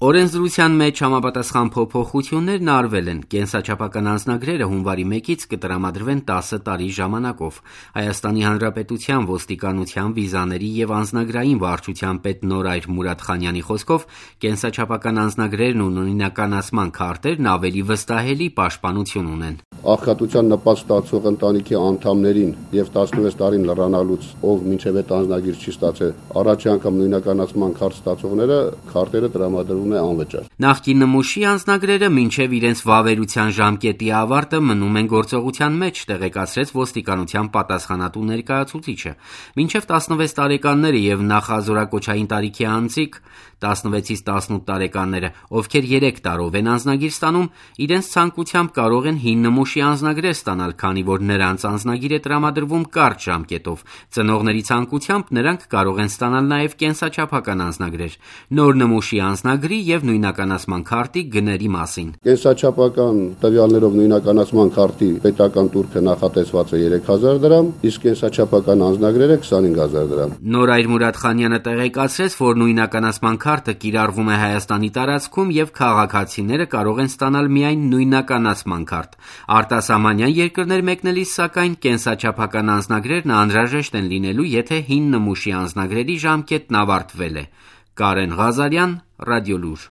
Օրենսդրության մեջ համապատասխան փոփոխություններն արվել են։ Կենսաչափական անձնագրերը հունվարի 1-ից կտրամադրվեն 10 տարի ժամանակով։ Հայաստանի Հանրապետության ոստիկանության, վիզաների եւ անձնագրային վարչության պետ Նորայր Մուրադխանյանի խոսքով կենսաչափական անձնագրերն ու նույնականացման քարտերն ավելի վստահելի պաշտպանություն ունեն։ Աղքատության նպաստ ստացող ընտանիքի անդամներին եւ 16 տարին լրանալուց, ով մինչեւ այդ անձնագիր չի ստացել, առաջի անգամ նույնականացման քարտ ստացողները քարտերը տրամադրվում է անվճար։ Նախկին նմուշի անձնագրերը մինչև իրենց վավերության ժամկետի ավարտը մնում են գործողության մեջ, տեղեկացրեց ոստիկանության պատասխանատու ներկայացուցիչը։ Մինչև 16 տարեկանները եւ նախազորակոչային տարիքի անձիկ 16-ից 18 տարեկանները, ովքեր 3 տարով են անձնագիր ստանում, իրենց ցանկությամբ կարող են հին նմուշի անձնագրեր ստանալ, քանի որ նրանց անձնագիր է տրամադրվում կարճ ժամկետով։ Ծնողների ցանկությամբ նրանք կարող են ստանալ նաև կենսաչափական անձնագրեր։ Նոր նմուշի անձնագրի եւ նույնականացման քարտի գների մասին։ Կենսաչափական տվյալներով նույնականացման քարտի պետական տուրքը նախատեսված է 3000 դրամ, իսկ կենսաչափական անձնագրերը 25000 դրամ։ Նորայր Մուրադխանյանը տեղեկացրեց, որ նույնականացման քարտը կիրառվում է Հայաստանի տարածքում եւ քաղաքացիները կարող են ստանալ միայն նույնականացման քարտ։ Արտասահմանյան երկրներ մեկնելիս, սակայն, կենսաչափական անձնագրերն անհրաժեշտ են լինելու, եթե հին նմուշի անձնագրերի ժամկետն ավարտվել է։ Կարեն Ղազարյան, Ռադիոլուր։